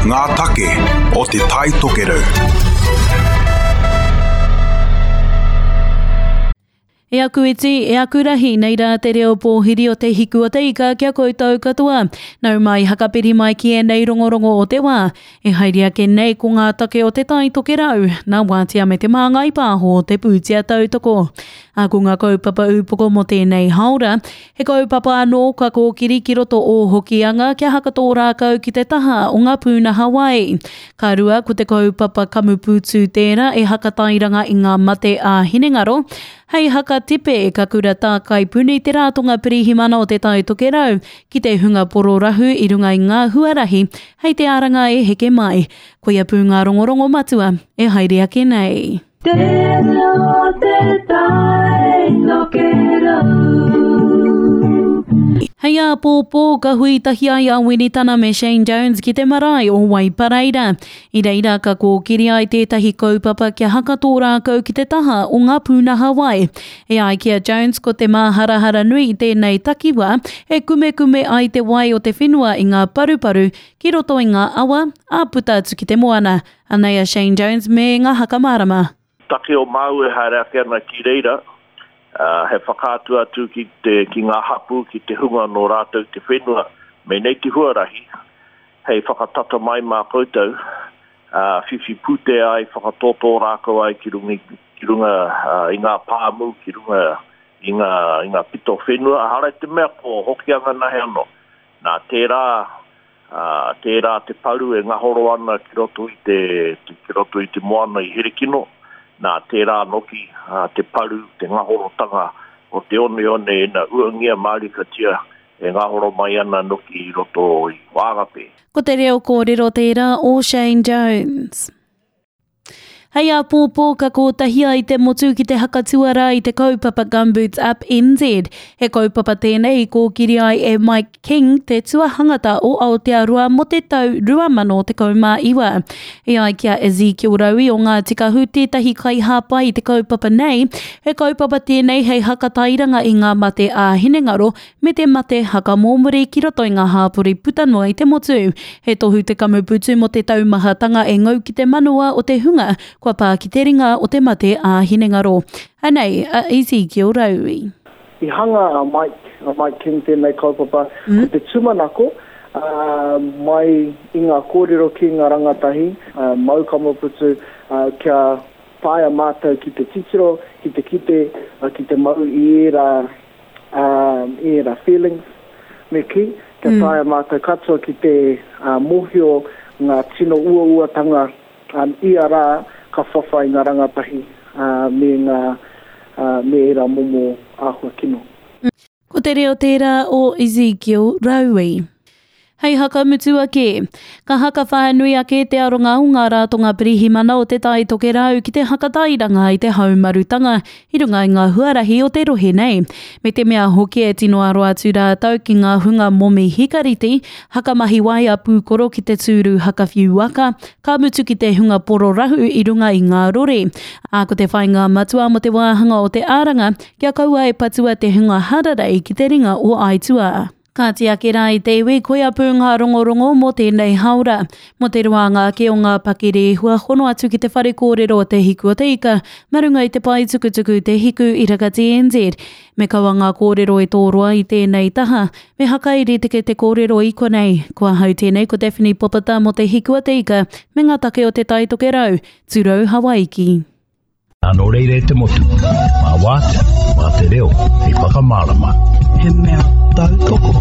Ngā take o Te Tai Tokerau. E aku iti, e aku rahi, nei rā te reo pōhiri o te hiku o te ika ki a koutou katoa. Nau mai, hakapiri mai ki ēnei rongorongo o te wā. E haere ake nei ko ngā take o Te Tai Tokerau, nā Wātea me Te Māngai Pāho te pūtea tautoko. Ā, ko ngā kaupapa ūpoko mō tēnei hāora, He kaupapa anō ka kōkiri ki roto o Hokianga kia hakatō rākau ki te taha o ngā pūnaha wai. Ka rua, ko te kaupapa kamupūtū tērā e hakatairanga i ngā mate ā-hinengaro. Hei haka tepe, ka kura tākai puni te Rātonga Pirihimana o Te Tai Tokerau ki te hunga pororahu i runga i ngā huarahi hei te aranga e heke mai. Koia pū ngā rongorongo matua e haere ake nei. Te reo te tai tokerau. Hei āpōpō ka hui tahi ai a Winitana me Shane Jones ki te marae o Waipareira. I reira ka kōkiri ai tētahi kaupapa kia hakatō rākau ki te taha o ngā pūnaha wai. E ai ki a Jones ko te māharahara nui i tēnei takiwā e kumekume ai te wai o te whenua i ngā paruparu ki roto i ngā awa, ā puta atu ki te moana. Anei a Shane Jones me ngā haka mārama. Take o māu e haere ake ana ki reira, he whakaatu atu ki te, ki ngā hapū, ki te hunga nō rātou te whenua, me nei te huarahi hei whakatata mai mā koutou, ā, whiwhi pūtea ai, whakatōtō rākau ai ki runga, ki runga i ngā pāmu, ki runga i ngā, i ngā pito whenua, ehara i te mea ko Hokianga nahe anō. Nā tērā Ā, tērā te paru e ngahoro ana ki roto i te, ki roto i te moana i Herekino, nā, tērā noki te paru, te ngahorotanga o te oneone ina uangia mārikatia e ngahoro mai ana noki i roto i Whangape. Ko te reo kōrero tērā o Shane Jones. Hei āpōpō ka kōtahi ai te motu ki te haka tuarā i te kaupapa Gumboots Up NZ. He kaupapa tēnei i kōkiri ai e Mike King, te tuahangata o Aotearoa mō te tau 2019. E ai ki a Ezekiel Raui o Ngāti Kahu tētahi kaihāpai i te kaupapa nei, he kaupapa tēnei hei hakatairanga i ngā mate ā-hinengaro me te mate hakamōmori ki roto i ngā hāpori puta noa i te motu. He tohu te kamuputu mō te taumahatanga e ngau ki te manawa o te hunga kua pā ki te ringa o te mate ā-hinengaro. Anei a Ezekiel Raui. I hanga a Mike, a Mike King tēnei kaupapa, ko te tūmanako, mai i ngā kōrero ki ngā rangatahi, mau kamuputu, kia taea mātou ki te titiro, ki te kite, ki te mau i ērā i ērā feelings, me kī, kia taea mātou katoa ki te mōhio ngā tino uauatanga ia rā ka whawhai ngā rangatahi me ngā, me ērā momo āhua kino. Ko te reo tērā o Ezekiel Raui. Hei hakamutu ake, ka haka whānui ake te aronga o ngā rātonga pirihimana o Te Tai Tokerau ki te hakatairanga i te haumarutanga i runga i ngā huarahi o te rohe nei. Me te mea hoki e tino aro atu rātou ki ngā hunga momi hikariti, hakamahi waea pūkoro ki te tūru hakawhiu waka, ka mutu ki te hunga pororahu i runga i ngā rori. Ā, ko te whāinga matua mō te wāhanga o te Āranga, kia kaua e patua te hunga hararei ki te ringa o aituā. Kāti ake rā i te iwi, koia pū ngā rongorongo mō tēnei hāora. Mō te roanga ake o ngā pakirehua, hono atu ki te whare kōrero o Te Hiku o te Ika, mā runga i te pae tukutuku Te Hiku Iraka TNZ. Me kaua ngā kōrero e tōroa i tēnei taha, me hakairi teke te kōrero i konei. Ko ahau tēnei ko Daphne Popata mō Te Hiku o te Ika me ngā take o Te Tai Tokerau, Turou Hawaiki. Nā nō reira e te motu, mā Wātea, mā te reo hei whakamārama. He mea tautoko.